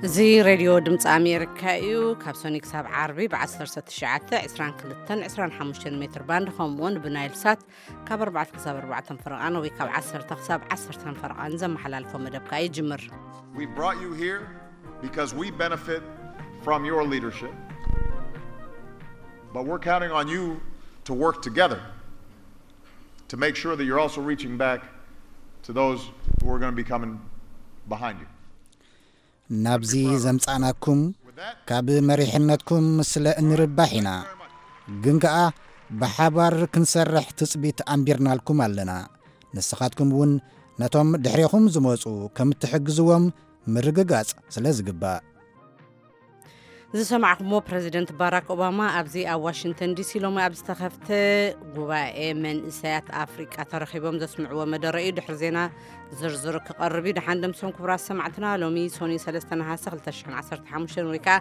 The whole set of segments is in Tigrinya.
እዚ ሬድዮ ድምፂ ኣሜሪካ እዩ። ካብ ሰኒ ክሳብ ዓርቢ ብ1922 25 ሜትር ባንድ፣ ከምኡውን ብናይል ሳት ካብ ኣርባዕተ ክሳብ ኣርባዕተ ፈረቓን ወይ ካብ ዓሰርተ ክሳብ ዓሰርተ ፈረቓን ዘመሓላልፎ መደብ ከኣ ይጅምር። We brought you here because we benefit from your leadership, but we're counting on you to work together to make sure that you're also reaching back to those who are going to be coming behind you. ናብዚ ዘምጻእናኩም ካብ መሪሕነትኩም ስለ እንርባሕ ኢና። ግን ከኣ ብሓባር ክንሰርሕ ትጽቢት ኣንቢርናልኩም ኣለና። ንስኻትኩም እውን ነቶም ድሕሬኹም ዝመጹ ከም እትሕግዝዎም ምርግጋጽ ስለ ዝግባእ። ዝሰማዕኩሞ ፕረዚደንት ባራክ ኦባማ ኣብዚ ኣብ ዋሽንግተን ዲሲ ሎሚ ኣብ ዝተኸፍተ ጉባኤ መንእሰያት ኣፍሪቃ ተረኺቦም ዘስምዕዎ መደረ እዩ። ድሕሪ ዜና ዝርዝር ክቐርብ እዩ። ደሓን ደምሶም ክቡራት ሰማዕትና፣ ሎሚ ሶኒ 3 ነሓሰ 2015 ወይ ከዓ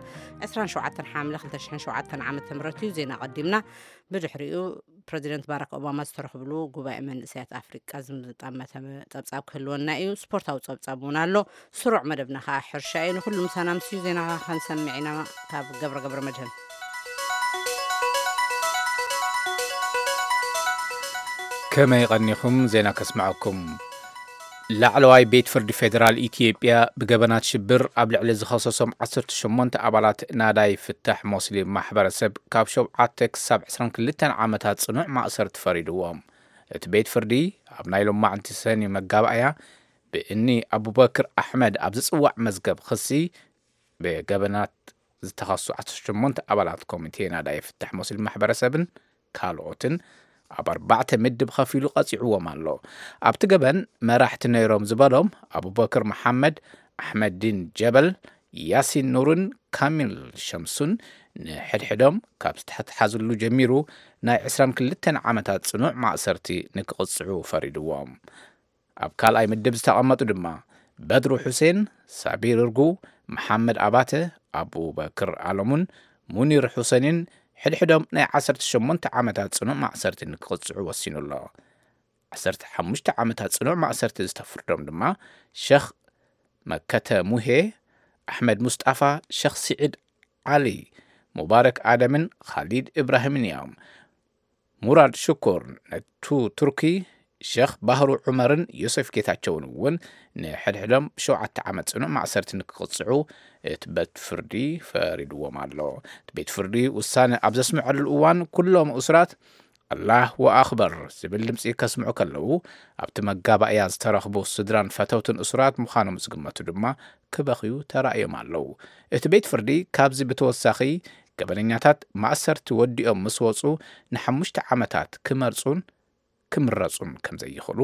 27 ሓምለ 2007 ዓመተ ምህረት እዩ። ዜና ቀዲምና። ብድሕሪኡ ፕረዚደንት ባራክ ኦባማ ዝተረኽብሉ ጉባኤ መንእሰያት ኣፍሪቃ ዝምጣመተ ጸብጻብ ክህልወና እዩ። ስፖርታዊ ጸብጻብ እውን ኣሎ። ስሩዕ መደብና ከዓ ሕርሻ እዩ። ንኹሉ ምሳና ምስዩ ዜና ከንሰምዕ ኢና ካብ ገብረ ገብረ መድህን። ከመይ ቀኒኹም? ዜና ከስምዐኩም። ላዕለዋይ ቤት ፍርዲ ፌደራል ኢትዮጵያ ብገበናት ሽብር ኣብ ልዕሊ ዝኸሰሶም 18 ኣባላት ናዳይ ፍታሕ ሞስሊም ማሕበረሰብ ካብ ሸውዓተ ክሳብ 22 ዓመታት ጽኑዕ ማእሰርቲ ፈሪድዎም። እቲ ቤት ፍርዲ ኣብ ናይ ሎማዕንቲ ሰኒ መጋባእያ ብእኒ ኣቡበክር ኣሕመድ ኣብ ዝጽዋዕ መዝገብ ክሲ ብገበናት ዝተኸሱ 18 ኣባላት ኮሚቴ ናዳይ ፍታሕ ሞስሊም ማሕበረሰብን ካልኦትን ኣብ ኣርባዕተ ምድብ ከፊሉ ቀጺዕዎም ኣሎ። ኣብቲ ገበን መራሕቲ ነይሮም ዝበሎም ኣቡበክር መሓመድ፣ ኣሕመዲን ጀበል፣ ያሲን ኑርን ካሚል ሸምሱን ንሕድሕዶም ካብ ዝተሓዝሉ ጀሚሩ ናይ 22 ዓመታት ጽኑዕ ማእሰርቲ ንክቕጽዑ ፈሪድዎም። ኣብ ካልኣይ ምድብ ዝተቐመጡ ድማ በድሩ ሑሴን፣ ሳቢር እርጉ፣ መሓመድ ኣባተ፣ ኣቡበክር ኣለሙን ሙኒር ሑሴንን ሕድሕዶም ናይ 18 ዓመታት ጽኑዕ ማእሰርቲ ንክቕጽዑ ወሲኑ ኣሎ። 15 ዓመታት ጽኑዕ ማእሰርቲ ዝተፍርዶም ድማ ሸኽ መከተ ሙሄ፣ ኣሕመድ ሙስጣፋ፣ ሸኽ ስዒድ ዓሊ፣ ሙባረክ ኣደምን ኻሊድ እብራሂምን እዮም። ሙራድ ሽኩር፣ ነቱ ቱርኪ፣ ሸኽ ባህሩ ዑመርን ዮሴፍ ጌታቸውን እውን ንሕድሕዶም ብሸውዓተ ዓመት ጽኑዕ ማእሰርቲ ንክቕጽዑ እቲ ቤት ፍርዲ ፈሪድዎም ኣሎ። እቲ ቤት ፍርዲ ውሳነ ኣብ ዘስምዐሉ እዋን ኩሎም እሱራት ኣላሁ ኣኽበር ዝብል ድምፂ ከስምዑ ከለዉ፣ ኣብቲ መጋባእያ ዝተረኽቡ ስድራን ፈተውትን እሱራት ምዃኖም ዝግመቱ ድማ ክበኽዩ ተራእዮም ኣለዉ። እቲ ቤት ፍርዲ ካብዚ ብተወሳኺ ገበነኛታት ማእሰርቲ ወዲኦም ምስ ወፁ ንሓሙሽተ ዓመታት ክመርፁን ክምረፁን ከም ዘይኽእሉ፣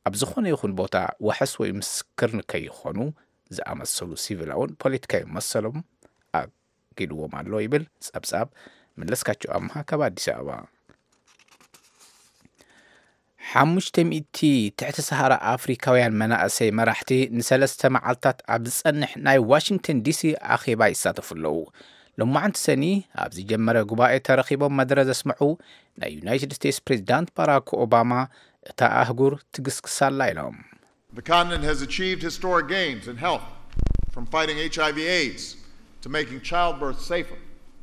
ኣብ ዝኾነ ይኹን ቦታ ዋሕስ ወይ ምስክር ንከይኾኑ ዝኣመሰሉ ሲቪላውን ፖለቲካዊ መሰሎም ኣጊድዎም ኣሎ ይብል ጸብጻብ መለስካቸው ኣምሃ ካብ ኣዲስ ኣበባ። ሓሙሽተ ሚእቲ ትሕቲ ሰሃራ ኣፍሪካውያን መናእሰይ መራሕቲ ንሰለስተ መዓልታት ኣብ ዝጸንሕ ናይ ዋሽንግተን ዲሲ ኣኼባ ይሳተፉ ኣለዉ። ሎማዓንቲ ሰኒ ኣብ ዝጀመረ ጉባኤ ተረኺቦም መደረ ዘስምዑ ናይ ዩናይትድ ስቴትስ ፕሬዚዳንት ባራክ ኦባማ፣ እታ ኣህጉር ትግስግስ ኣላ ኢሎም። The continent has achieved historic gains in health, from fighting H I V AIDS to making childbirth safer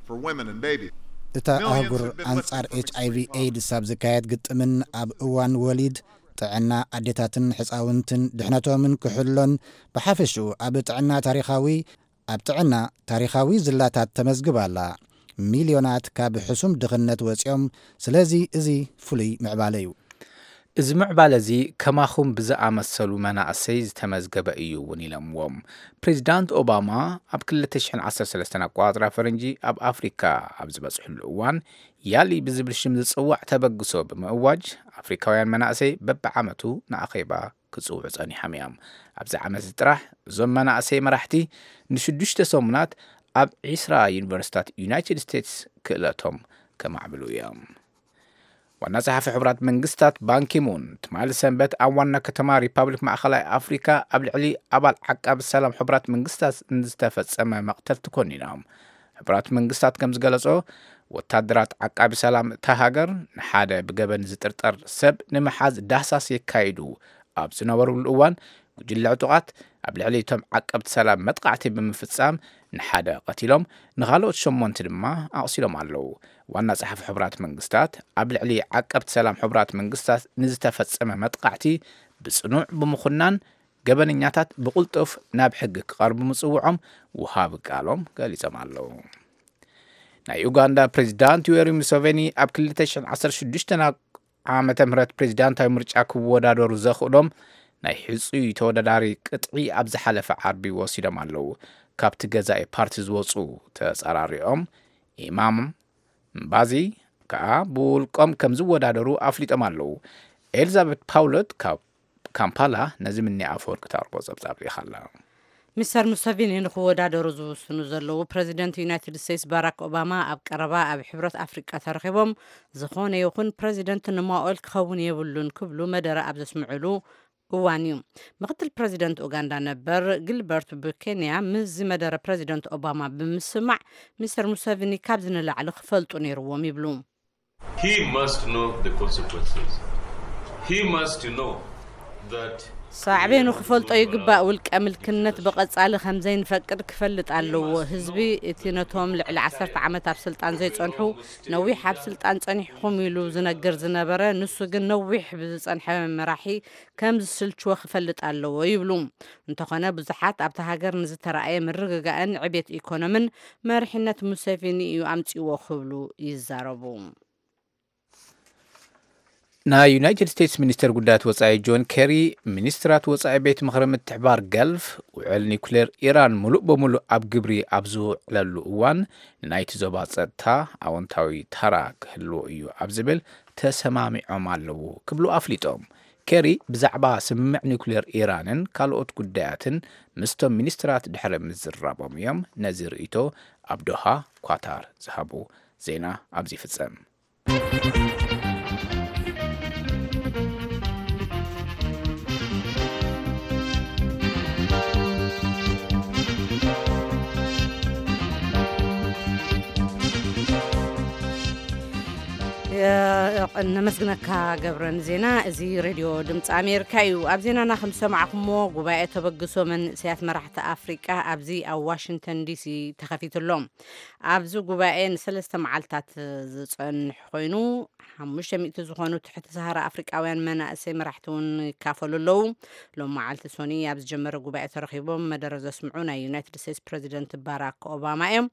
for women and babies. እታ ኣህጉር ኣንጻር ኤች ኣይ ቪ ኤድስ ኣብ ዝካየድ ግጥምን ኣብ እዋን ወሊድ ጥዕና ኣዴታትን ሕጻውንትን ድሕነቶምን ክሕሎን ብሓፈሽኡ ኣብ ጥዕና ታሪኻዊ ኣብ ጥዕና ታሪኻዊ ዝላታት ተመዝግባ ኣላ። ሚልዮናት ካብ ሕሱም ድኽነት ወጺኦም። ስለዚ እዚ ፍሉይ ምዕባለ እዩ። እዚ ምዕባለ እዚ ከማኹም ብዝኣመሰሉ መናእሰይ ዝተመዝገበ እዩ እውን ኢሎምዎም። ፕሬዚዳንት ኦባማ ኣብ 2013 ኣቆጻጽራ ፈረንጂ ኣብ ኣፍሪካ ኣብ ዝበፅሕሉ እዋን ያሊ ብዝብል ሽም ዝፅዋዕ ተበግሶ ብምእዋጅ ኣፍሪካውያን መናእሰይ በብዓመቱ ንኣኼባ ክጽውዑ ጸኒሖም እዮም። ኣብዚ ዓመት እዚ ጥራሕ እዞም መናእሰይ መራሕቲ ንሽዱሽተ ሰሙናት ኣብ 20 ዩኒቨርሲታት ዩናይትድ ስቴትስ ክእለቶም ከማዕብሉ እዮም። ዋና ጸሓፊ ሕቡራት መንግስታት ባንኪሙን ትማሊ ሰንበት ኣብ ዋና ከተማ ሪፓብሊክ ማእኸላይ ኣፍሪካ ኣብ ልዕሊ ኣባል ዓቃቢ ሰላም ሕቡራት መንግስታት ንዝተፈጸመ መቕተልቲ ኮኒኖም። ሕቡራት መንግስታት ከም ዝገለጾ፣ ወታደራት ዓቃቢ ሰላም እታ ሃገር ንሓደ ብገበን ዝጥርጠር ሰብ ንምሓዝ ዳህሳስ የካይዱ ኣብ ዝነበሩሉ እዋን፣ ጉጅለ ዕጡቓት ኣብ ልዕሊ እቶም ዓቀብቲ ሰላም መጥቃዕቲ ብምፍጻም ንሓደ ቀቲሎም፣ ንኻልኦት ሸሞንተ ድማ ኣቑሲሎም ኣለዉ። ዋና ጸሓፊ ሕቡራት መንግስታት ኣብ ልዕሊ ዓቀብቲ ሰላም ሕቡራት መንግስታት ንዝተፈጸመ መጥቃዕቲ ብጽኑዕ ብምኹናን፣ ገበነኛታት ብቕልጡፍ ናብ ሕጊ ክቐርቡ ምጽውዖም ውሃቢ ቃሎም ገሊጾም ኣለዉ። ናይ ኡጋንዳ ፕሬዚዳንት ዩዌሪ ሙሴቬኒ ኣብ ክልተ ሽሕን ዓሰርተ ሽዱሽተን ዓመተ ምህረት ፕሬዚዳንታዊ ምርጫ ክወዳደሩ ዘኽእሎም ናይ ሕጹይ ተወዳዳሪ ቅጥዒ ኣብ ዝሓለፈ ዓርቢ ወሲዶም ኣለዉ። ካብቲ ገዛኢ ፓርቲ ዝወጹ ተጸራሪኦም ኢማም ምባዚ ከኣ ብውልቆም ከም ዝወዳደሩ ኣፍሊጦም ኣለዉ። ኤልዛቤት ፓውሎት ካብ ካምፓላ ነዚ ምኒ ኣፈወርቂ ታርቦ ጸብጻብ ልኢኻ ኣላ። ሚስተር ሙሰቪኒ ንክወዳደሩ ዝውስኑ ዘለዉ ፕረዚደንት ዩናይትድ ስቴትስ ባራክ ኦባማ ኣብ ቀረባ ኣብ ሕብረት ኣፍሪቃ ተረኺቦም፣ ዝኾነ ይኹን ፕረዚደንት ንማኦል ክኸውን የብሉን ክብሉ መደረ ኣብ ዘስምዕሉ እዋን እዩ። ምክትል ፕረዚደንት ኡጋንዳ ነበር ጊልበርት ቡኬንያ ምስዚ መደረ ፕረዚደንት ኦባማ ብምስማዕ፣ ሚስተር ሙሰቪኒ ካብዚ ንላዕሊ ክፈልጡ ነይርዎም ይብሉ። He must know the consequences. He must know that ሳዕቤኑ ክፈልጦ ይግባእ። ውልቀ ምልክነት ብቐጻሊ ከም ዘይንፈቅድ ክፈልጥ ኣለዎ። ህዝቢ እቲ ነቶም ልዕሊ ዓሰርተ ዓመት ኣብ ስልጣን ዘይጸንሑ፣ ነዊሕ ኣብ ስልጣን ጸኒሕኹም ኢሉ ዝነግር ዝነበረ፣ ንሱ ግን ነዊሕ ብዝጸንሐ መራሒ ከም ዝስልችዎ ክፈልጥ ኣለዎ ይብሉ። እንተኾነ ብዙሓት ኣብታ ሃገር ንዝተረኣየ ምርግጋእን ዕቤት ኢኮኖምን መሪሕነት ሙሴቪኒ እዩ ኣምጺዎ ክብሉ ይዛረቡ። ናይ ዩናይትድ ስቴትስ ሚኒስተር ጉዳያት ወጻኢ ጆን ኬሪ፣ ሚኒስትራት ወጻኢ ቤት ምኽሪ ምትሕባር ገልፍ ውዕል ኒኩሌር ኢራን ሙሉእ በሙሉእ ኣብ ግብሪ ኣብ ዝውዕለሉ እዋን፣ ንናይቲ ዞባ ጸጥታ ኣወንታዊ ተራ ክህልዎ እዩ ኣብ ዝብል ተሰማሚዖም ኣለዉ ክብሉ ኣፍሊጦም። ኬሪ ብዛዕባ ስምምዕ ኒኩሌር ኢራንን ካልኦት ጉዳያትን ምስቶም ሚኒስትራት ድሕሪ ምዝራቦም እዮም ነዚ ርእይቶ ኣብ ዶሃ ኳታር ዝሃቡ። ዜና ኣብዚ ይፍጸም። ነመስግነካ ገብረን ዜና። እዚ ሬድዮ ድምፂ ኣሜሪካ እዩ። ኣብ ዜናና ከም ዝሰማዕኩሞ ጉባኤ ተበግሶ መንእሰያት መራሕቲ ኣፍሪቃ ኣብዚ ኣብ ዋሽንግተን ዲሲ ተኸፊቱ ኣሎ። ኣብዚ ጉባኤ ንሰለስተ መዓልታት ዝጸንሕ ኮይኑ፣ ሓሙሽተ ሚእቲ ዝኾኑ ትሕቲ ሰሃራ ኣፍሪቃውያን መናእሰይ መራሕቲ እውን ይካፈሉ ኣለዉ። ሎም መዓልቲ ሶኒ ኣብ ዝጀመረ ጉባኤ ተረኺቦም መደረ ዘስምዑ ናይ ዩናይትድ ስቴትስ ፕረዚደንት ባራክ ኦባማ እዮም።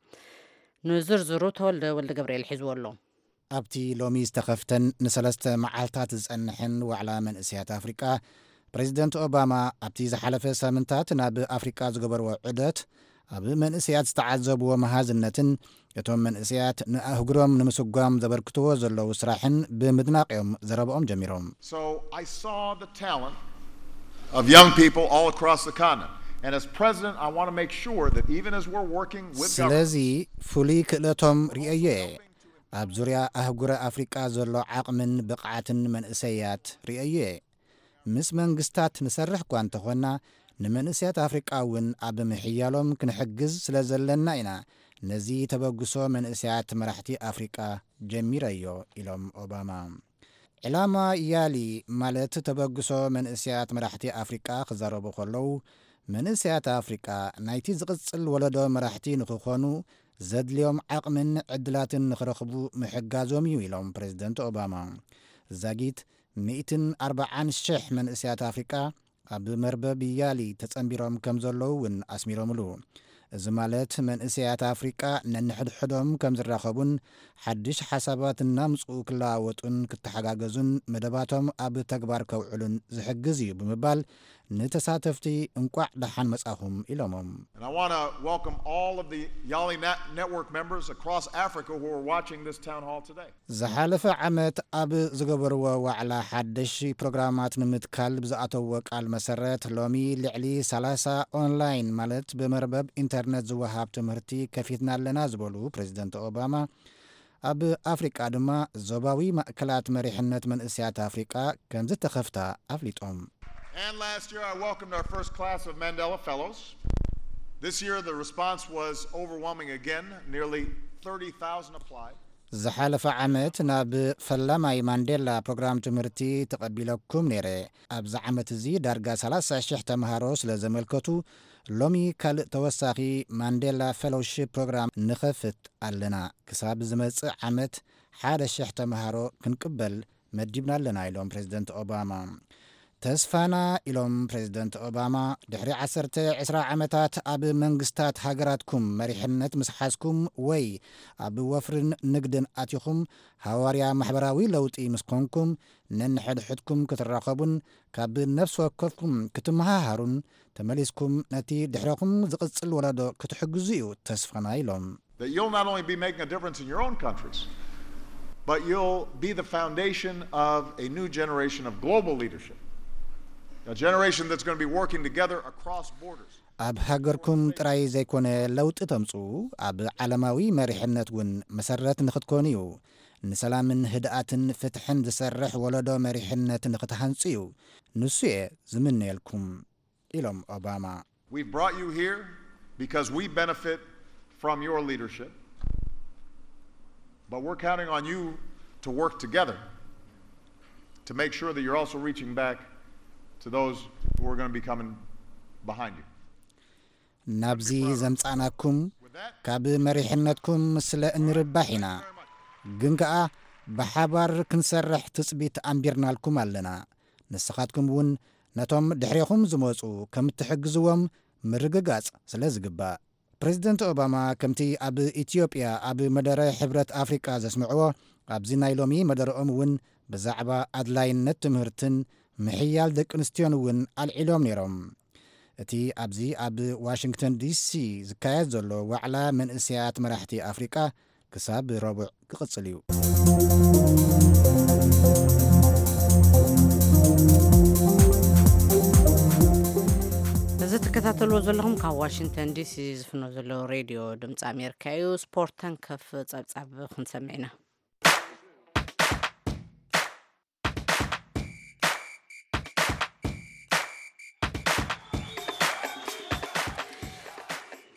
ንዝርዝሩ ተወልደ ወልደ ገብርኤል ሒዝዎ ኣሎ። ኣብቲ ሎሚ ዝተኸፍተን ንሰለስተ መዓልታት ዝጸንሐን ዋዕላ መንእሰያት ኣፍሪቃ፣ ፕሬዚደንት ኦባማ ኣብቲ ዝሓለፈ ሳምንታት ናብ ኣፍሪቃ ዝገበርዎ ዑደት፣ ኣብ መንእሰያት ዝተዓዘብዎ መሃዝነትን እቶም መንእሰያት ንኣህጉሮም ንምስጓም ዘበርክትዎ ዘለዉ ስራሕን ብምድናቕ እዮም ዘረብኦም ጀሚሮም። So I saw the talent of young people all across the continent. And as president, I want to make sure that even as we're working with government, ስለዚ ፍሉይ ክእለቶም ርእየዮ እየ። ኣብ ዙርያ ኣህጉረ ኣፍሪቃ ዘሎ ዓቕምን ብቕዓትን መንእሰያት ርእየዮ እየ። ምስ መንግስታት ንሰርሕ እኳ እንተኾንና፣ ንመንእሰያት ኣፍሪቃ እውን ኣብ ምሕያሎም ክንሕግዝ ስለ ዘለና ኢና ነዚ ተበግሶ መንእሰያት መራሕቲ ኣፍሪቃ ጀሚረዮ ኢሎም ኦባማ። ዕላማ ያሊ ማለት ተበግሶ መንእሰያት መራሕቲ ኣፍሪቃ ክዛረቡ ከለዉ፣ መንእሰያት ኣፍሪቃ ናይቲ ዝቕጽል ወለዶ መራሕቲ ንኽኾኑ ዘድልዮም ዓቕምን ዕድላትን ንኽረኽቡ ምሕጋዞም እዩ ኢሎም ፕሬዚደንት ኦባማ። ዛጊት ሚእትን ኣርባዓን ሽሕ መንእሰያት ኣፍሪቃ ኣብ መርበብ ያሊ ተጸንቢሮም ከም ዘለዉ እውን ኣስሚሮምሉ። እዚ ማለት መንእሰያት ኣፍሪቃ ነንሕድሕዶም ከም ዝራኸቡን ሓድሽ ሓሳባት እናምጽኡ ክለዋወጡን ክተሓጋገዙን መደባቶም ኣብ ተግባር ከውዕሉን ዝሕግዝ እዩ ብምባል ንተሳተፍቲ እንቋዕ ደሓን መጻኹም ኢሎሞም። And I want to welcome all of the Yali Net- Network members across Africa who are watching this town hall today. ዝሓለፈ ዓመት ኣብ ዝገበርዎ ዋዕላ ሓደሽ ፕሮግራማት ንምትካል ብዝኣተዎ ቃል መሰረት፣ ሎሚ ልዕሊ ሰላሳ ኦንላይን ማለት ብመርበብ ኢንተርነት ዝወሃብ ትምህርቲ ከፊትና ኣለና ዝበሉ ፕሬዚደንት ኦባማ፣ ኣብ ኣፍሪቃ ድማ ዞባዊ ማእከላት መሪሕነት መንእሰያት ኣፍሪቃ ከም ዝተኸፍታ ኣፍሊጦም። And last year, I welcomed our first class of Mandela Fellows. This year, the response was overwhelming again. Nearly thirty thousand applied. ዝሓለፈ ዓመት ናብ ፈላማይ ማንዴላ ፕሮግራም ትምህርቲ ተቐቢለኩም ነይረ። ኣብዚ ዓመት እዚ ዳርጋ ሰላሳ ሽሕ ተምሃሮ ስለ ዘመልከቱ፣ ሎሚ ካልእ ተወሳኺ ማንዴላ ፌሎውሺፕ ፕሮግራም ንኸፍት ኣለና። ክሳብ ዝመጽእ ዓመት ሓደ ሽሕ ተምሃሮ ክንቅበል መዲብና ኣለና፣ ኢሎም ፕሬዚደንት ኦባማ። ተስፋና፣ ኢሎም ፕሬዚደንት ኦባማ፣ ድሕሪ ዓሰርተ ዕስራ ዓመታት ኣብ መንግስታት ሃገራትኩም መሪሕነት ምስ ሓዝኩም ወይ ኣብ ወፍርን ንግድን ኣቲኹም ሃዋርያ ማሕበራዊ ለውጢ ምስ ኮንኩም፣ ነንሕድሕድኩም ክትራኸቡን ካብ ነፍሲ ወከፍኩም ክትመሃሃሩን፣ ተመሊስኩም ነቲ ድሕረኹም ዝቕጽል ወለዶ ክትሕግዙ እዩ ተስፋና፣ ኢሎም። That you'll not only be making a difference in your own countries, but you'll be the foundation of a new generation of global leadership. A generation that's going to be working together across borders. ኣብ ሃገርኩም ጥራይ ዘይኮነ ለውጢ ተምጽኡ፣ ኣብ ዓለማዊ መሪሕነት እውን መሰረት ንኽትኮኑ እዩ። ንሰላምን ህድኣትን ፍትሕን ዝሰርሕ ወለዶ መሪሕነት ንኽትሃንጹ እዩ። ንሱ እየ ዝምነየልኩም፣ ኢሎም ኦባማ። We've brought you here because we benefit from your leadership, but we're counting on you to work together to make sure that you're also reaching back to those who are going to be coming behind you. ናብዚ ዘምጻእናኩም ካብ መሪሕነትኩም ስለ እንርባሕ ኢና። ግን ከኣ ብሓባር ክንሰርሕ ትጽቢት ኣንቢርናልኩም ኣለና። ንስኻትኩም እውን ነቶም ድሕሬኹም ዝመጹ ከም እትሕግዝዎም ምርግጋጽ ስለ ዝግባእ። ፕሬዚደንት ኦባማ ከምቲ ኣብ ኢትዮጵያ ኣብ መደረ ሕብረት ኣፍሪቃ ዘስምዕዎ፣ ኣብዚ ናይ ሎሚ መደረኦም እውን ብዛዕባ ኣድላይነት ትምህርትን ምሕያል ደቂ ኣንስትዮን እውን ኣልዒሎም ነይሮም። እቲ ኣብዚ ኣብ ዋሽንግተን ዲሲ ዝካየድ ዘሎ ዋዕላ መንእሰያት መራሕቲ ኣፍሪቃ ክሳብ ረቡዕ ክቕጽል እዩ። እዚ ትከታተልዎ ዘለኹም ካብ ዋሽንግተን ዲሲ ዝፍኖ ዘሎ ሬድዮ ድምፂ ኣሜሪካ እዩ። ስፖርት ተንከፍ ጸብጻብ ክንሰምዕ ኢና።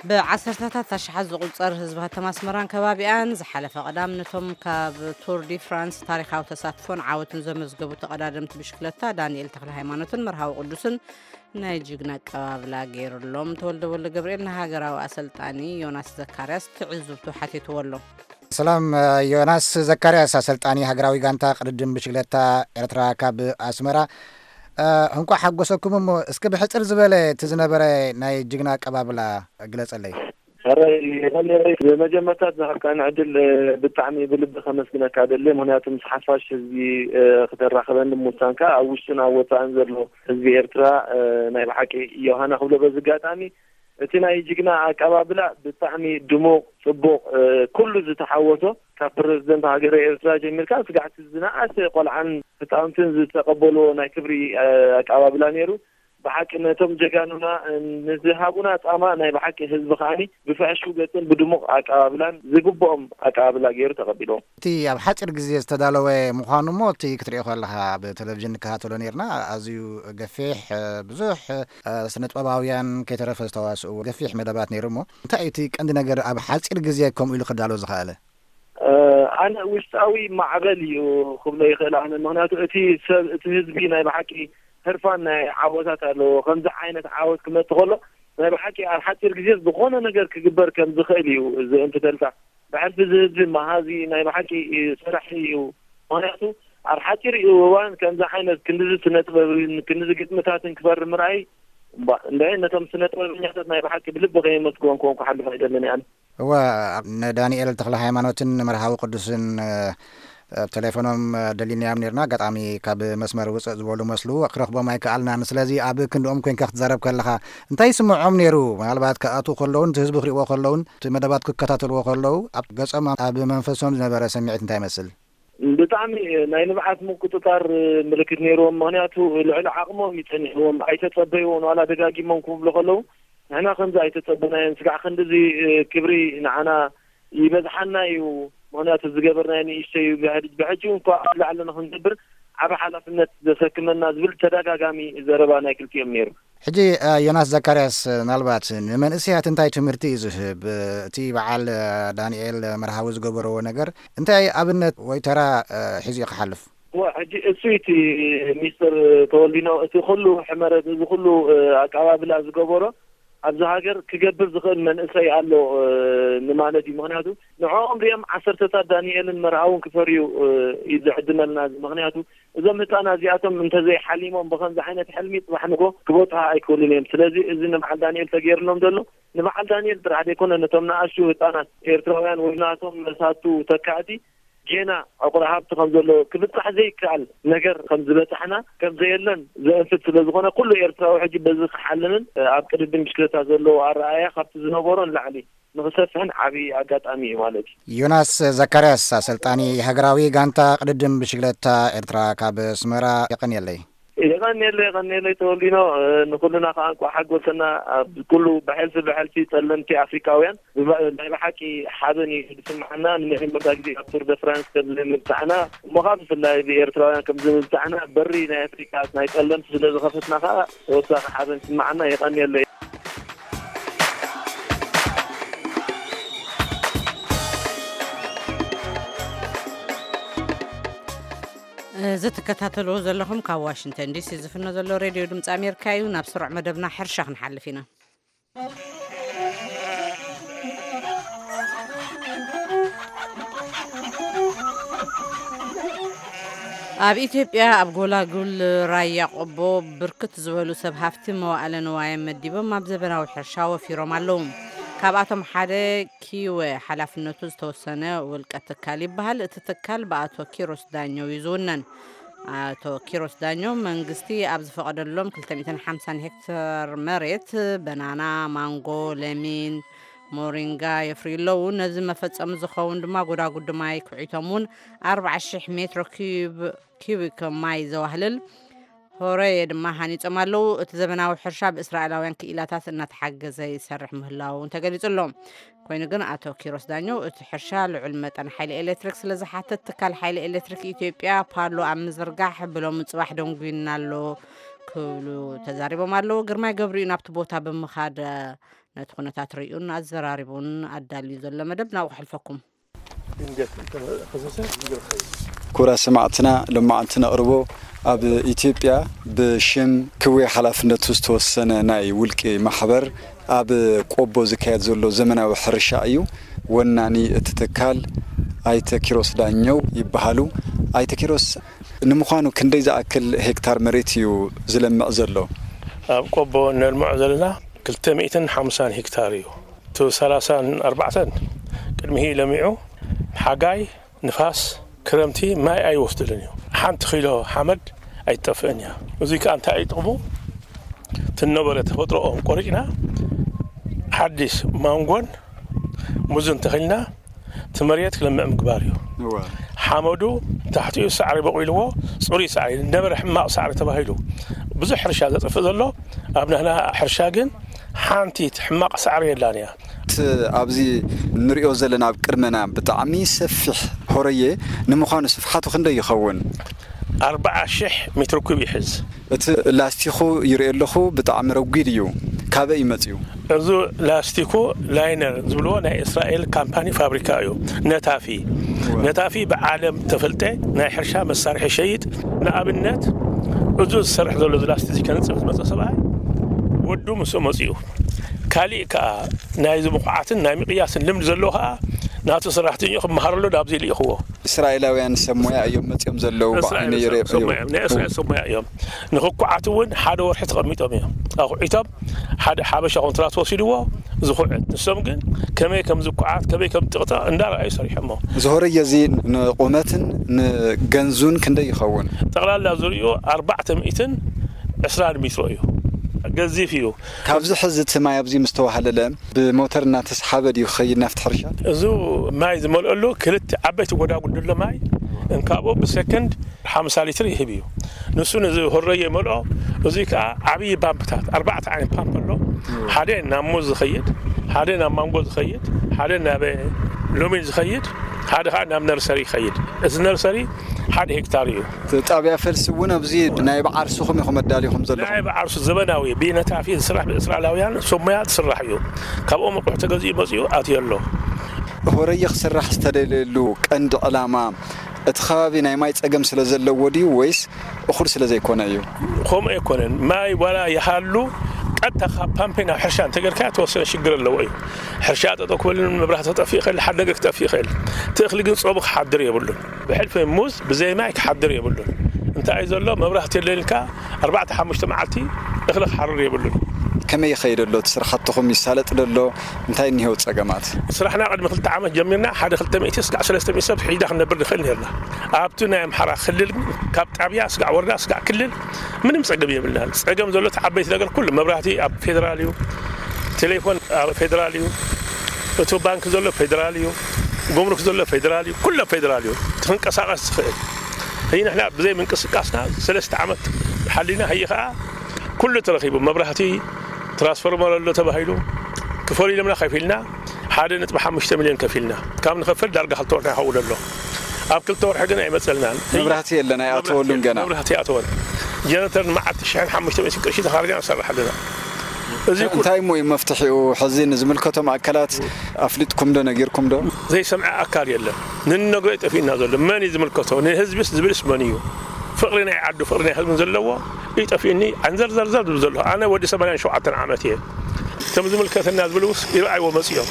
ብዓሰርተታት ኣሽሓት ዝቑጸር ህዝቢ ከተማ ኣስመራን ከባቢኣን ዝሓለፈ ቀዳም ነቶም ካብ ቱር ዲ ፍራንስ ታሪኻዊ ተሳትፎን ዓወትን ዘመዝገቡ ተቐዳደምቲ ብሽክለታ ዳንኤል ተኽለ ሃይማኖትን መርሃዊ ቅዱስን ናይ ጅግና ኣቀባብላ ገይሩሎም። ተወልደ ወልደ ገብርኤል ንሃገራዊ ኣሰልጣኒ ዮናስ ዘካርያስ ትዕዝብቱ ሓቲትዎ ኣሎ። ሰላም ዮናስ ዘካርያስ፣ ኣሰልጣኒ ሃገራዊ ጋንታ ቅድድም ብሽክለታ ኤርትራ ካብ ኣስመራ። እንኳዕ ሓጎሰኩም። እሞ እስኪ ብሕፅር ዝበለ እቲ ዝነበረ ናይ ጅግና ኣቀባብላ ግለፀለይ። ሕራይ መለይ፣ ብመጀመርታ ዝሃብካኒ ዕድል ብጣዕሚ ብልቢ ከመስግነካ ደሊ። ምክንያቱ ምስ ሓፋሽ ህዝቢ ክተራኽበኒ ምውሳንካ፣ ኣብ ውሽጥን ኣብ ወፃእን ዘሎ ህዝቢ ኤርትራ ናይ ብሓቂ ዮሃና ክብሎ በዚ ኣጋጣሚ። እቲ ናይ ጅግና ኣቀባብላ ብጣዕሚ ድሙቕ፣ ጽቡቕ፣ ኩሉ ዝተሓወሶ፣ ካብ ፕረዚደንት ሃገረ ኤርትራ ጀሚርካ ስጋዕ እቲ ዝነኣሰ ቆልዓን ህጻውንትን ዝተቐበልዎ ናይ ክብሪ ኣቀባብላ ነይሩ። ብሓቂ ነቶም ጀጋኑና ንዝሃቡና ጻማ ናይ ብሓቂ ህዝቢ ከኣኒ ብፍሕሹው ገጽን ብድሙቕ ኣቀባብላን ዝግብኦም ኣቀባብላ ገይሩ ተቐቢልዎም። እቲ ኣብ ሓጺር ግዜ ዝተዳለወ ምዃኑ እሞ እቲ ክትሪኦ ከለኻ ኣብ ቴሌቪዥን ንከታተሎ ነይርና። ኣዝዩ ገፊሕ፣ ብዙሕ ስነጥበባውያን ከይተረፈ ዝተዋስእዎ ገፊሕ መደባት ነይሩ። እሞ እንታይ እዩ እቲ ቀንዲ ነገር ኣብ ሓጺር ግዜ ከምኡ ኢሉ ክዳሎ ዝኸኣለ? ኣነ ውሽጣዊ ማዕበል እዩ ክብሎ ይኽእል። ኣነ ምክንያቱ እቲ ሰብ እቲ ህዝቢ ናይ ብሓቂ ህርፋን ናይ ዓወታት ኣለዎ። ከምዚ ዓይነት ዓወት ክመጽእ ከሎ ናይ ብሓቂ ኣብ ሓጺር ግዜ ዝኾነ ነገር ክግበር ከም ዝኽእል እዩ ዝእንፍተልካ። ብሕልፊ እዚ ህዝቢ መሃዚ ናይ ብሓቂ ሰራሒ እዩ። ምክንያቱ ኣብ ሓጺር እዋን ከምዚ ዓይነት ክንድዚ ስነ ጥበብን ክንድዚ ግጥምታትን ክፈሪ ምርኣይ እምባ እንደ ነቶም ስነ ጥበበኛታት ናይ ብሓቂ ብልቢ ከየመስግኖም ክኾንኩ ሓልፍ ኣይደልን ኣነ። እወ፣ ንዳንኤል ተኽለ ሃይማኖትን ንመርሃዊ ቅዱስን ኣብ ቴሌፎኖም ደሊናዮም ነርና። ኣጋጣሚ ካብ መስመር ውፅእ ዝበሉ መስሉ ክረኽቦም ኣይከኣልናን። ስለዚ ኣብ ክንድኦም ኮይንካ ክትዛረብ ከለኻ እንታይ ይስምዖም ነይሩ? ምናልባት ክኣትዉ ከለውን እቲ ህዝቢ ክሪእዎ ከለውን እቲ መደባት ክከታተልዎ ከለዉ ኣብ ገጾም ኣብ መንፈሶም ዝነበረ ስምዒት እንታይ ይመስል? ብጣዕሚ ናይ ንብዓት ምቁጽጻር ምልክት ነይርዎም። ምኽንያቱ ልዕሊ ዓቕሞም እዩ ጸኒሕዎም። ኣይተጸበይዎን ዋላ ደጋጊሞም ክብሉ ከለዉ ንሕና ከምዚ ኣይተጸበናዮን። ስጋዕ ክንድዚ ክብሪ ንዓና ይበዝሓና እዩ። ምኽንያቱ ዝገበርናዮ ንእሽተይ እዩ። ብሕጂ እንኳ ኣብ ላዕሊ ንኽንገብር ዓቢ ሓላፍነት ዘሰክመና ዝብል ተደጋጋሚ ዘረባ ናይ ክልቲኦም ነይሩ። ሕጂ ዮናስ ዘካርያስ፣ ምናልባት ንመንእሰያት እንታይ ትምህርቲ እዩ ዝህብ? እቲ በዓል ዳንኤል መርሃዊ ዝገበረዎ ነገር እንታይ ኣብነት ወይ ተራ ሒዙ ክሓልፍ? ሕጂ እሱ እቲ ሚስተር ተወልዲኖ፣ እቲ ኩሉ ሕመረት፣ እዚ ኩሉ ኣቀባብላ ዝገበሮ ኣብዚ ሃገር ክገብር ዝኽእል መንእሰይ ኣሎ ንማለት እዩ። ምክንያቱ ንዕኦም ሪኦም ዓሰርተታት ዳንኤልን መርሃውን ክፈርዩ እዩ ዝዕድመልና። ምክንያቱ እዞም ህፃናት እዚኣቶም እንተዘይሓሊሞም ብኸምዚ ዓይነት ሕልሚ፣ ፅባሕ ንጎ ክበፅሑ ኣይክእሉን እዮም። ስለዚ እዚ ንበዓል ዳንኤል ተገይርሎም ዘሎ፣ ንበዓል ዳንኤል ጥራሕ ዘይኮነ፣ ነቶም ንኣሽቱ ህፃናት ኤርትራውያን ወይ ናቶም መሳቱ ተካእቲ ጌና ዕቑር ሃብቲ ከም ዘሎ፣ ክብጻሕ ዘይከኣል ነገር ከም ዝበጻሕና፣ ከም ዘየለን ዘእንፍት ስለ ዝኾነ፣ ኩሉ ኤርትራዊ ሕጂ በዚ ክሓልምን ኣብ ቅድድም ብሽክለታ ዘለዎ ኣረኣእያ ካብቲ ዝነበሮ ንላዕሊ ንኽሰፍሕን ዓቢ ኣጋጣሚ እዩ ማለት እዩ። ዮናስ ዘካርያስ፣ ኣሰልጣኒ ሃገራዊ ጋንታ ቅድድም ብሽክለታ ኤርትራ፣ ካብ ኣስመራ፣ የቐንየለይ። የቐንየለይ፣ የቐንየለይ ተወልዲኖ። ንኹልና ከኣ እንቋዕ ሓጎሰና። ኣብ ኩሉ ብሕልፊ ብሕልፊ ጸለምቲ ኣፍሪቃውያን ብባ-፣ ናይ ብሓቂ ሓበን እዩ ዝስምዓና። ንመጀመርታ ግዜ ኣብ ቱር ደ ፍራንስ ከም ምብጻሕና እሞ፣ ካብ ብፍላይ ብኤርትራውያን ከም ምብጻሕና፣ በሪ ናይ ኣፍሪቃ ናይ ጸለምቲ ስለ ዝኸፈትና ከኣ ተወሳኺ ሓበን ይስምዓና። የቐንየለይ። እዚ ትከታተልዎ ዘለኹም ካብ ዋሽንግተን ዲሲ ዝፍኖ ዘሎ ሬድዮ ድምፂ ኣሜሪካ እዩ። ናብ ስሩዕ መደብና ሕርሻ ክንሓልፍ ኢና። ኣብ ኢትዮጵያ ኣብ ጎላጉል ራያ ቆቦ ብርክት ዝበሉ ሰብ ሃፍቲ መዋእለ ንዋዮም መዲቦም ኣብ ዘበናዊ ሕርሻ ወፊሮም ኣለዉ። ካብኣቶም ሓደ ኪወ ሓላፍነቱ ዝተወሰነ ውልቀ ትካል ይበሃል። እቲ ትካል ብኣቶ ኪሮስ ዳኘው እዩ ዝውነን። ኣቶ ኪሮስ ዳኘው መንግስቲ ኣብ ዝፈቐደሎም ክልተ ሚእትን ሓምሳን ሄክታር መሬት በናና፣ ማንጎ፣ ለሚን፣ ሞሪንጋ የፍርዩ ኣለዉ። ነዚ መፈጸሚ ዝኸውን ድማ ጎዳጉዲ ማይ ኩዒቶም እውን ኣርባዓ ሽሕ ሜትሮ ኪዩብ፣ ኪዩቢክ ማይ ዘዋህልል ሆረየ ድማ ሃኒጾም ኣለዉ። እቲ ዘበናዊ ሕርሻ ብእስራኤላውያን ክኢላታት እናተሓገዘ ይሰርሕ ምህላዉ እውን ተገሊጹ ኣሎ። ኮይኑ ግን ኣቶ ኪሮስ ዳኘው እቲ ሕርሻ ልዑል መጠን ሓይሊ ኤሌክትሪክ ስለ ዝሓትት ትካል ሓይሊ ኤሌክትሪክ ኢትዮጵያ ፓሎ ኣብ ምዝርጋሕ ብሎሚ ጽባሕ ደንጉዩና ኣሎ ክብሉ ተዛሪቦም ኣለዉ። ግርማይ ገብሩ እዩ ናብቲ ቦታ ብምኻድ ነቲ ኩነታት ርእዩን ኣዘራሪቡን ኣዳልዩ ዘሎ መደብ ናብኡ ከሕልፈኩም። ክቡራት ሰማዕትና፣ ሎማዓንቲ ነቕርቦ ኣብ ኢትዮጵያ ብሽም ክዌ ሓላፍነቱ ዝተወሰነ ናይ ውልቂ ማሕበር ኣብ ቆቦ ዝካየድ ዘሎ ዘመናዊ ሕርሻ እዩ። ወናኒ እቲ ትካል ኣይተ ኪሮስ ዳኘው ይበሃሉ። ኣይተ ኪሮስ፣ ንምዃኑ ክንደይ ዝኣክል ሄክታር መሬት እዩ ዝለምዕ ዘሎ? ኣብ ቆቦ እነልምዖ ዘለና ክልተ ሚእትን ሓምሳን ሄክታር እዩ። እቲ ሰላሳን ኣርባዕተን ቅድሚሂ ለሚዑ፣ ሓጋይ፣ ንፋስ፣ ክረምቲ ማይ ኣይወስድልን እዩ። ሓንቲ ኪሎ ሓመድ ኣይትጠፍእን እያ። እዙይ ከኣ እንታይ እዩ ጥቕሙ? ትነበረ ተፈጥሮኦም ቆሪጭና ሓዲስ ማንጎን ሙዝን ተኺልና እቲ መሬት ክለምዕ ምግባር እዩ። እወ። ሓመዱ ታሕቲኡ ሳዕሪ በቑልዎ፣ ጽሩይ ሳዕሪ፣ ነበረ ሕማቕ ሳዕሪ ተባሂሉ ብዙሕ ሕርሻ ዘጥፍእ ዘሎ፣ ኣብ ናህና ሕርሻ ግን ሓንቲ ሕማቕ ሳዕሪ የላን እያ። እቲ ኣብዚ ንሪኦ ዘለና ኣብ ቅድመና ብጣዕሚ ሰፊሕ ሆረየ፣ ንምዃኑ ስፍሓቱ ክንደይ ይኸውን? ኣርባዓ ሽሕ ሜትሮ ኩብ ይሕዝ። እቲ ላስቲኹ ይርኢ ኣለኹ፣ ብጣዕሚ ረጒድ እዩ። ካበይ እዩ መጺኡ? እዚ ላስቲኩ ላይነር ዝብልዎ ናይ እስራኤል ካምፓኒ ፋብሪካ እዩ። ነታፊ። እወ። ነታፊ ብዓለም ተፈልጠ ናይ ሕርሻ መሳርሒ ይሸይጥ። ንኣብነት፣ እዚ ዝሰርሕ ዘሎ፣ እዚ ላስቲክ እዚ ከንጽፍ ዝመጸ ሰብኣይ ወዱ ምስኡ መጺኡ። ካሊእ ከኣ ናይዚ ምኹዓትን ናይ ምቕያስን ልምዲ ዘለዎ ከኣ ናቱ ሰራሕተኛኡ ክመሃረሉ ናብዚ ልኢኽዎ። እስራኤላውያን ሰብ ሞያ እዮም መጺኦም ዘለዉ፣ ብዓይነይ እስራኤል ይርኢ ሰብ እዮም። ሞያ፣ ናይ እስራኤል ሰብ ሞያ እዮም። ንኽኩዓት እውን ሓደ ወርሒ ተቐሚጦም እዮም። ኣኹዒቶም ሓደ ሓበሻ ኮንትራት ወሲድዎ ዝኹዕት። ንሶም ግን ከመይ ከም ዝኩዓት፣ ከመይ ከም ዝጥቕጠቕ እንዳረኣዩ ሰሪሖሞ። እዚ ሆረየ እዚ ንቑመትን ንገንዙን ክንደይ ይኸውን? ጠቕላላ ዙሪኡ ኣርባዕተ ሚእትን ዕስራን ሜትሮ እዩ። ገዚፍ እዩ። ካብዚ ሕዚ እቲ ማይ ኣብዚ ምስ ተዋህለለ ብሞተር እናተስሓበ ድዩ ክኸይድ ናብቲ ሕርሻ? እዚ ማይ ዝመልአሉ ክልተ ዓበይቲ ጎዳጉዲ ኣሎ ማይ። እንካብኡ ብሰከንድ ሓምሳ ሊትር ይህብ እዩ። ንሱ ነዚ ሆረየ ይመልኦ። እዚ ከኣ ዓብዪ ፓምፕታት፣ ኣርባዕተ ዓይነት ፓምፕ ኣሎ። ሓደ ናብ ሙዝ ዝኸይድ፣ ሓደ ናብ ማንጎ ዝኸይድ፣ ሓደ ናብ ሎሚን ዝኸይድ፣ ሓደ ከኣ ናብ ነርሰሪ ይኸይድ። እዚ ነርሰሪ ሓደ ሄክታር እዩ። እቲ ጣብያ ፈልሲ እውን ኣብዚ ናይ ብዓርስኹም ኢኹም ኣዳሊኹም ዘለኹም? ናይ ብዓርሱ ዘበናዊ ብነታፊ ዝስራሕ ብእስራኤላውያን ሰብ ሞያ ዝስራሕ እዩ። ካብኦም ኣቑሑ ተገዚኡ መፂኡ ኣትዮ ኣሎ። ሆረየ ክስራሕ ዝተደለየሉ ቀንዲ ዕላማ እቲ ከባቢ ናይ ማይ ፀገም ስለ ዘለዎ ድዩ ወይስ እኹል ስለ ዘይኮነ እዩ? ከምኡ ኣይኮነን። ማይ ዋላ ይሃሉ ቀጥታ ካብ ፓምፔ ናብ ሕርሻ እንተገርካ ተወሰነ ሽግር ኣለዎ እዩ። ሕርሻ ጠጠው ክበልን መብራህቲ ክጠፍእ ይኽእል፣ ሓደ ነገር ክጠፍእ ይኽእል። እቲ እኽሊ ግን ጾሙ ክሓድር የብሉን። ብሕልፊ ሙዝ ብዘይ ማይ ክሓድር የብሉን። እንታይ እዩ ዘሎ? መብራህቲ የለን ኢልካ ኣርባዕተ ሓሙሽተ መዓልቲ እኽሊ ክሓርር የብሉን። ከመይ ይኸይድ ኣሎ? እቲ ስራሕትኹም ይሳለጥ ዶ ኣሎ? እንታይ እኒሄው ጸገማት? ስራሕና ቅድሚ ክልተ ዓመት ጀሚርና ሓደ ክልተ ሚእቲ ስጋዕ ሰለስተ ሚእቲ ሰብ ሒዳ ክንነብር ንኽእል ነርና። ኣብቲ ናይ ኣምሓራ ክልል ግን ካብ ጣብያ ስጋዕ ወረዳ ስጋዕ ክልል ምንም ጸገም የብልናን። ጸገም ዘሎ እቲ ዓበይቲ ነገር ኩሉ መብራህቲ ኣብ ፌደራል እዩ፣ ቴሌፎን ኣብ ፌደራል እዩ፣ እቲ ባንክ ዘሎ ፌደራል እዩ፣ ጉምሩክ ዘሎ ፌደራል እዩ፣ ኩሎ ፌደራል እዩ። እቲ ክንቀሳቐስ ዝኽእል። ህይ ንሕና ብዘይ ምንቅስቃስና ሰለስተ ዓመት ሓሊና፣ ህይ ኸዓ ኩሉ ተረኺቡ፣ መብራህቲ፣ ትራንስፎርመር ኣሎ ተባሂሉ፣ ክፈሉ ኢሎምና ከፊልና፣ ሓደ ነጥቢ ሓሙሽተ ሚልዮን ከፊልና። ካብ ንኸፍል ዳርጋ ክልተ ወርሒ ይኸውን ኣሎ። ኣብ ክልተ ወርሒ ግን ኣይመጸልናን። መብራህቲ የለን፣ ኣይኣተወሉን ገና። መብራህቲ ኣይኣተወን። ጀነተር ንመዓልቲ ሽሕን ሓሙሽተ ሚእትን ቅርሺ ተኻሪና ንሰርሕ ኣለና። እዚ ኩሉ እንታይ እሞ እዩ መፍትሒኡ? ሕዚ ንዝምልከቶም ኣካላት ኣፍሊጥኩም ዶ ነጊርኩም ዶ? ዘይሰምዐ ኣካል የለን። ንንነግሮ እዩ ጠፊእና ዘሎ። መን እዩ ዝምልከቶ? ንህዝብስ ዝብልስ መን እዩ? ፍቕሪ ናይ ዓዱ ፍቕሪ ናይ ህዝብን ዘለዎ እዩ ጠፊእኒ። ኣንዘርዘርዘር ዝብል ዘሎ። ኣነ ወዲ ሰማንያን ሸውዓተን ዓመት እየ። እቶም ዝምልከተና ዝብልውስ ይረኣይዎ መፅዮም።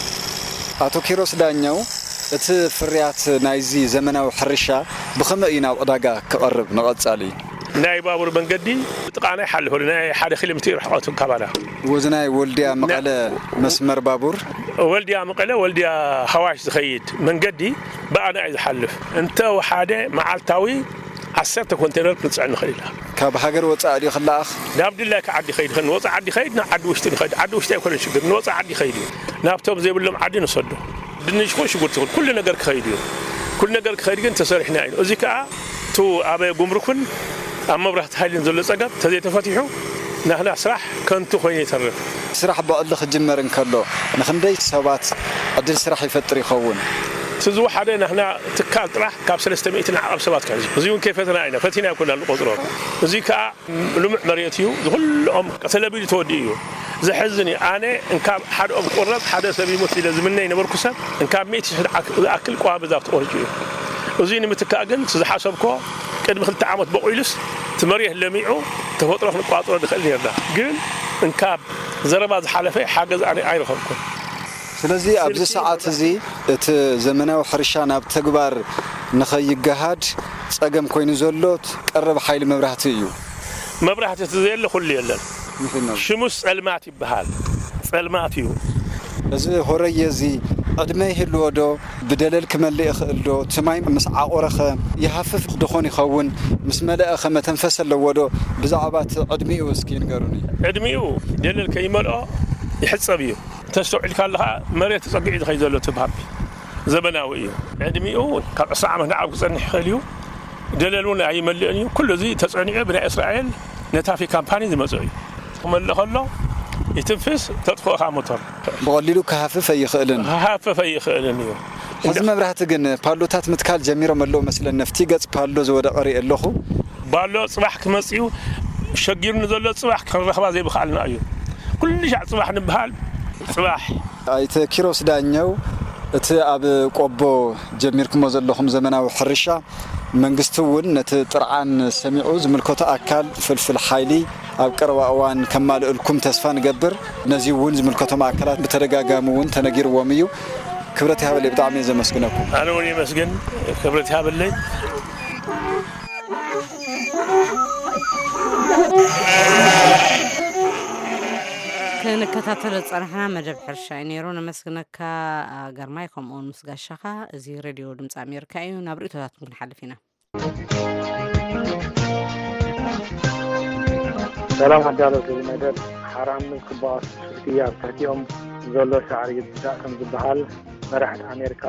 ኣቶ ኪሮስ ዳኘው፣ እቲ ፍርያት ናይዚ ዘመናዊ ሕርሻ ብኸመይ እዩ ናብ ዕዳጋ ክቐርብ ንቐጻሊ? ናይ ባቡር መንገዲ ጥቓና ይሓልፍ ኣሎ። ናይ ሓደ ኪሎ ሜትር ርሕቐቱ ካባና። ወዚ ናይ ወልድያ መቐለ መስመር ባቡር? ወልድያ መቐለ፣ ወልድያ ሃዋሽ ዝኸይድ መንገዲ ብኣና እዩ ዝሓልፍ። እንተ ወሓደ መዓልታዊ ዓሰርተ ኮንቴነር ክንፅዕን ንኽእል ኢና። ካብ ሃገር ወፃኢ ድዩ ክለኣኽ? ናብ ድላይካ ዓዲ ይኸይድ ይኽእል። ንወፃኢ ዓዲ ይኸይድ፣ ንዓዲ ውሽጢ ንኸይድ። ዓዲ ውሽጢ ኣይኮነን ሽግር፣ ንወፃኢ ዓዲ ይኸይድ እዩ። ናብቶም ዘይብሎም ዓዲ ንሰዶ። ድንሽ ኹን ሽጉርቲ ኹን ኩሉ ነገር ክኸይድ እዩ። ኩሉ ነገር ክኸይድ ግን ተሰሪሕና እዩ። እዚ ከዓ እቱ ኣብ ጉምሩክን ኣብ መብራህቲ ሓይልን ዘሎ ፀገም ተዘይተፈቲሑ ናህና ስራሕ ከንቱ ኮይኑ ይተርፍ። ስራሕ ብዕሊ ክጅመር እንከሎ ንክንደይ ሰባት ዕድል ስራሕ ይፈጥር ይኸውን? እቲ ዝወሓደ ናህና ትካል ጥራሕ ካብ ሰለስተ ሚእቲ ንዓቐብ ሰባት ክሕዝ እዩ። እዚ እውን ከይፈተና ኢና፣ ፈቲና ኣይኮና ንቆፅሮ። እዚ ከዓ ልሙዕ መሬት እዩ። ዝኩልኦም ተለቢዱ ተወዲኡ እዩ። ዘሕዝን እዩ። ኣነ እንካብ ሓደኦም ክቁረፅ ሓደ ሰብ ይሙት ኢለ ዝምነ ይነበርኩ ሰብ እንካብ ሚእቲ ሽሕ ዝኣክ- ዝኣክል ቀዋሚ ዛፍ ተቆሪፁ እዩ። እዙይ ንምትካእ ግን እቲ ዝሓሰብኮ ቅድሚ ክልተ ዓመት በቑሉስ እቲ መሬት ለሚዑ ተፈጥሮ ክንቋፅሮ ንኽእል ነርና። ግን እንካብ ዘረባ ዝሓለፈ ሓገዝ ኣነ ኣይረኸብኩን። ስለዚ ኣብዚ ሰዓት እዚ እቲ ዘመናዊ ሕርሻ ናብ ተግባር ንኸይገሃድ ጸገም ኮይኑ ዘሎ ቀረብ ሓይሊ መብራህቲ እዩ። መብራህቲ እቲ ዘየለ ኩሉ የለን። ሽሙስ ጸልማት ይበሃል። ጸልማት እዩ። እዚ ሆረየ እዚ ዕድመ ይህልዎ ዶ? ብደለል ክመልእ ይኽእል ዶ? እቲ ማይ ምስ ዓቖረኸ ይሃፍፍ ድኾን ይኸውን? ምስ መለእኸ መተንፈስ ኣለዎ ዶ? ብዛዕባ እቲ ዕድሚኡ እስኪ ንገሩኒ። ዕድሚኡ ደለል ከይመልኦ ይሕጸብ እዩ። ተስተውዒልካ ኣለኻ መሬት ተጸጊዑ ዝኸይድ ዘሎ እቲ ፓምፕ ዘበናዊ እዩ። ዕድሚኡ ካብ ዕስራ ዓመት ንዓብ ክጸንሕ ይኽእል እዩ። ደለል እውን ኣይመልእን እዩ። ኩሉ እዚ ተጸኒዑ ብናይ እስራኤል ነታፊ ካምፓኒ ዝመጽእ እዩ። ክመልእ ከሎ ይትንፍስ፣ ተጥፍኦ ከኣ ሞተር። ብቐሊሉ ክሃፍፍ ኣይኽእልን። ክሃፍፍ ኣይኽእልን እዩ። ሕዚ መብራህቲ ግን ፓሎታት ምትካል ጀሚሮም ኣለዉ መስለኒ። ኣብቲ ገጽ ፓሎ ዝወደቐ ርኢ ኣለኹ። ባሎ ጽባሕ ክመጽእ እዩ። ሸጊሩኒ ዘሎ ጽባሕ ክንረኽባ ዘይምኽኣልና እዩ። ኩሉ ሻዕ ጽባሕ ንበሃል። ጽባሕ። ኣይተ ኪሮስ ዳኘው፣ እቲ ኣብ ቆቦ ጀሚርኩሞ ዘለኹም ዘመናዊ ሕርሻ መንግስቲ እውን ነቲ ጥርዓን ሰሚዑ ዝምልከቶ ኣካል ፍልፍል ሓይሊ ኣብ ቀረባ እዋን ከማልእልኩም ተስፋ ንገብር። ነዚ እውን ዝምልከቶም ኣካላት ብተደጋጋሚ እውን ተነጊርዎም እዩ። ክብረት ይሃበለይ፣ ብጣዕሚ እየ ዘመስግነኩም። ኣነ እውን የመስግን፣ ክብረት ይሃበለይ። ክንከታተሎ ዝጸናሕና መደብ ሕርሻ እዩ ነይሩ። ነመስግነካ ግርማይ፣ ከምኡውን ምስ ጋሻኻ። እዚ ሬድዮ ድምፂ ኣሜሪካ እዩ። ናብ ርእይቶታትኩም ክንሓልፍ ኢና። ሰላም ኣዳለውቲ እዚ መደብ። ሓራምዝ ክበኣሱ ትሕቲ ኣብ ትሕቲኦም ዘሎ ሳዕሪ ይብዳእ ከም ዝበሃል፣ መራሕቲ ኣሜሪካ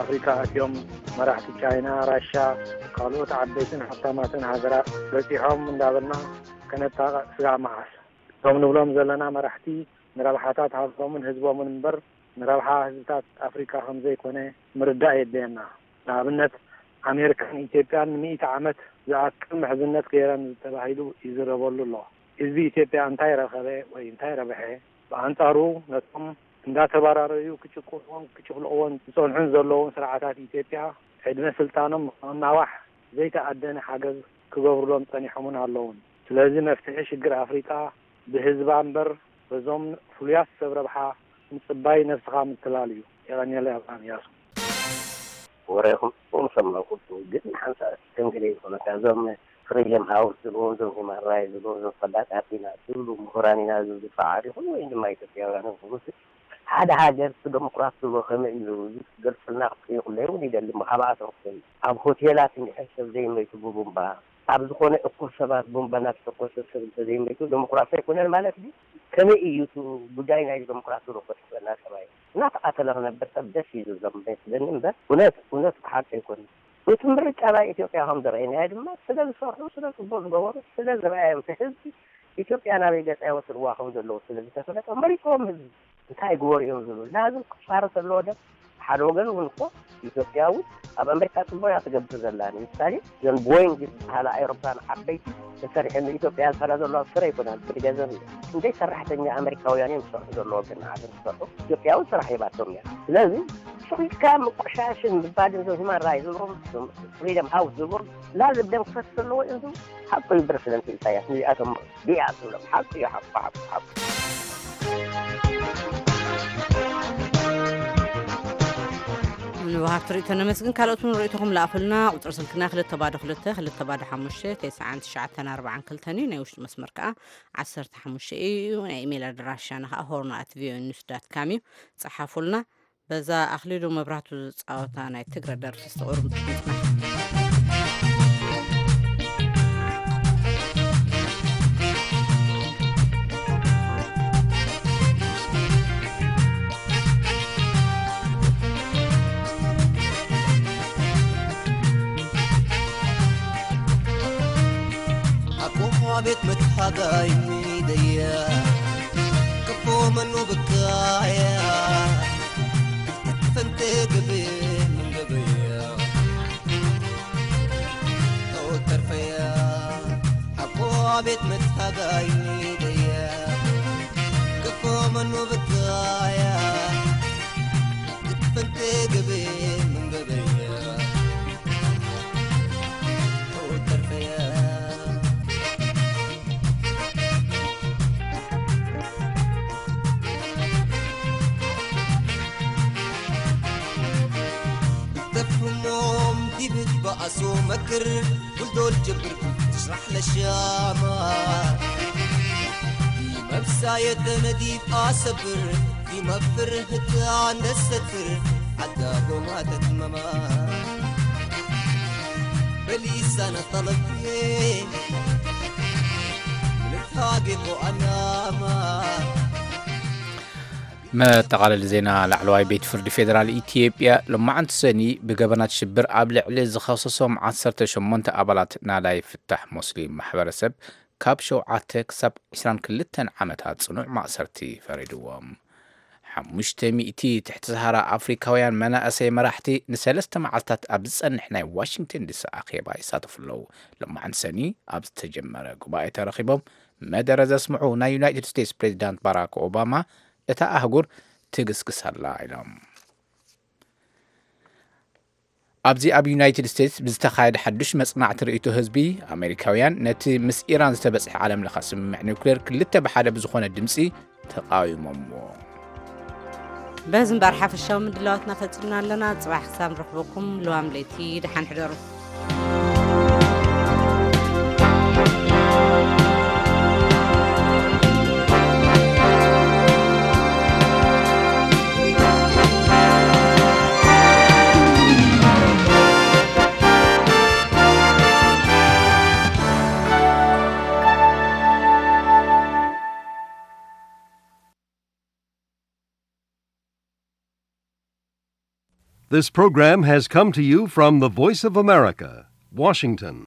ኣፍሪካ ኣትዮም፣ መራሕቲ ቻይና፣ ራሻ፣ ካልኦት ዓበይትን ሃብታማትን ሃገራት በፂሖም እንዳበልና ከነጣቕዕ ስጋዕ መዓስ? እቶም ንብሎም ዘለና መራሕቲ ንረብሓታት ሃገሮምን ህዝቦምን እምበር ንረብሓ ህዝብታት ኣፍሪካ ከምዘይኮነ ምርዳእ የድልየና። ንኣብነት ኣሜሪካን ኢትዮጵያን ንሚእቲ ዓመት ዝኣክል ምሕዝነት ገይረን ተባሂሉ ይዝረበሉ ኣሎ። ህዝቢ ኢትዮጵያ እንታይ ረኸበ ወይ እንታይ ረብሐ? ብኣንጻሩ ነቶም እንዳተባራረዩ ክጭቁንዎን ክጭፍልቕዎን ዝጸንሑን ዘለዉን ስርዓታት ኢትዮጵያ ዕድመ ስልጣኖም ንኽናዋሕ ዘይተኣደነ ሓገዝ ክገብሩሎም ጸኒሖምን ኣለዉን። ስለዚ መፍትሒ ሽግር ኣፍሪቃ ብህዝባ እምበር በዞም ፍሉያት ሰብ ረብሓ ምጽባይ ነብስኻ ምትላል እዩ። የቐንየለይ ኣብርሃም እያሱ። ወሬኹም ሰማዕኩ፣ ግን ሓንሳእ ተንግደ ይኾነካ። እዞም ፍሪደም ሃውስ ዝብሉ፣ እዞም ሂማን ራይት ዝብሉ፣ እዞም ፈላጣት ኢና ዝብሉ፣ ምሁራን ኢና ዝብሉ ሰዓት ይኹን ወይ ድማ ኢትዮጵያውያን ይኹኑ፣ ሓደ ሃገር ዲሞክራሲ ዝብሎ ከመይ እዩ ዝገልፅልና ክጠይቁለይ እውን ይደሊ። ካባኣቶም ክሰምዕ ኣብ ሆቴላት እንድሕር ሰብ ዘይመይቱ ብቡምባ ኣብ ዝኾነ እኩብ ሰባት ቡምባ እናተተኮሰ ሰብ እንተዘይመይቱ ዲሞክራሲ ኣይኮነን ማለት ድዩ? ከመይ እዩ እቲ ጉዳይ ናይ ዲሞክራሲ ዝኮነ ዝበና ሰብኣይ እናተቃተለ ክነብር ሰብ ደስ እዩ ዝብሎም መስለኒ እምበር እውነት እውነት ብሓቂ ኣይኮነን። እቲ ምርጫ ናይ ኢትዮጵያ ከም ዝረኣይናዮ ድማ ስለ ዝሰርሑ ስለ ፅቡቅ ዝገበሩ ስለ ዝረኣዮም እቲ ህዝቢ ኢትዮጵያ ናበይ ገፃ ይወስድዋ ከም ዘለዉ ስለ ዝተፈለጠ መሪፅዎም ህዝቢ እንታይ ይግበሩ እዮም ዝብል ናዝም ክፋረ ዘለዎ ደ ሓደ ወገን እውን እኮ ኢትዮጵያ እውን ኣብ ኣሜሪካ ፅቡቅ እያ ትገብር ዘላ ንምሳሌ ዘን ቦይንግ ዝበሃላ ኣይሮፕላን ዓበይቲ ተሰሪሐን ንኢትዮጵያ ዝፈላ ዘለዋ ስረ ኣይኮናን ትገዘብ እያ እንደይ ሰራሕተኛ ኣሜሪካውያን እዮም ዝሰርሑ ዘለዎ ግን ዓለም ዝሰርሑ ኢትዮጵያ እውን ስራሕ ሂባቶም እያ ስለዚ ስሪትካ ምቆሻሽን ምባልን ዞም ሂማን ራይት ዝብሎም ፍሪደም ሃውስ ዝብሎም ላዝብ ደም ክፈስ ዘለዎ እዮም ዝብሉ ሓቁ እዩ ፕረሲደንት ኢሳያስ ንዚኣቶም ዲኣ ትብሎም ሓቁ እዩ ሓቁ ሓቁ ሓቁ ንወሃብቲ ርእቶ ነመስግን ካልኦት እውን ርእቶኹም ለኣኹልና ቁፅሪ ስልክና ክልተ ባዶ ክልተ ክልተ ባዶ ሓሙሽተ ተስዓን ትሽዓተን ኣርባዓን ክልተን እዩ ናይ ውሽጢ መስመር ከዓ ዓሰርተ ሓሙሽተ እዩ ናይ ኢሜይል ኣድራሻና ከዓ ሆርን ኣት ቪኦኤ ኒውስ ዳት ካም እዩ ፀሓፉልና በዛ ኣኽሊሉ መብራህቱ ዝፃወታ ናይ ትግረ ደርፊ ዝተቑርም ጥቕምትና ኣቦ ቤት መትሓጋይ ሚደያ ክፎ መኑ ብካያ ፈንቴ ግብ ምንገብያ ተወተርፈያ ኣቦ ቤት መትሓጋይ ሚደያ ክፎ መኑ ብካያ ፈንቴ ግብ ምንገብያ تفهمهم دي بتبقى سو مكر كل دول جبر تشرح للشامة دي مبساية نجيب أصبر دي مفر هتان الستر عدا قومات تماما بليسان طلبي نتهاجم وأناما መጠቓለሊ ዜና ላዕለዋይ ቤት ፍርዲ ፌደራል ኢትዮጵያ ሎማዓንቲ ሰኒ ብገበናት ሽብር ኣብ ልዕሊ ዝኸሰሶም ዓሰርተ ሸሞንተ ኣባላት ናላይ ፍታሕ ሞስሊም ማሕበረሰብ ካብ ሸውዓተ ክሳብ ዕስራን ክልተን ዓመታት ፅኑዕ ማእሰርቲ ፈሪድዎም። ሓሙሽተ ሚእቲ ትሕቲ ሰሃራ ኣፍሪካውያን መናእሰይ መራሕቲ ንሰለስተ መዓልታት ኣብ ዝፀንሕ ናይ ዋሽንግተን ዲሲ ኣኼባ ይሳተፉ ኣለዉ። ሎማዓንቲ ሰኒ ኣብ ዝተጀመረ ጉባኤ ተረኺቦም መደረ ዘስምዑ ናይ ዩናይትድ ስቴትስ ፕሬዚዳንት ባራክ ኦባማ እታ ኣህጉር ትግስግስ ኣላ ኢሎም። ኣብዚ ኣብ ዩናይትድ ስቴትስ ብዝተኻየደ ሓዱሽ መጽናዕቲ ርእይቶ ህዝቢ ኣሜሪካውያን ነቲ ምስ ኢራን ዝተበጽሐ ዓለም ለኸ ስምምዕ ኒውክሌር ክልተ ብሓደ ብዝኾነ ድምጺ ተቓዊሞምዎ። በዚ እምበር ሓፈሻዊ ምድላዋትና ፈጺምና ኣለና። ጽባሕ ክሳብ ንረኽበኩም ልዋም ለይቲ ደሓን ሕደሩ። This program has come to you from the Voice of America, Washington.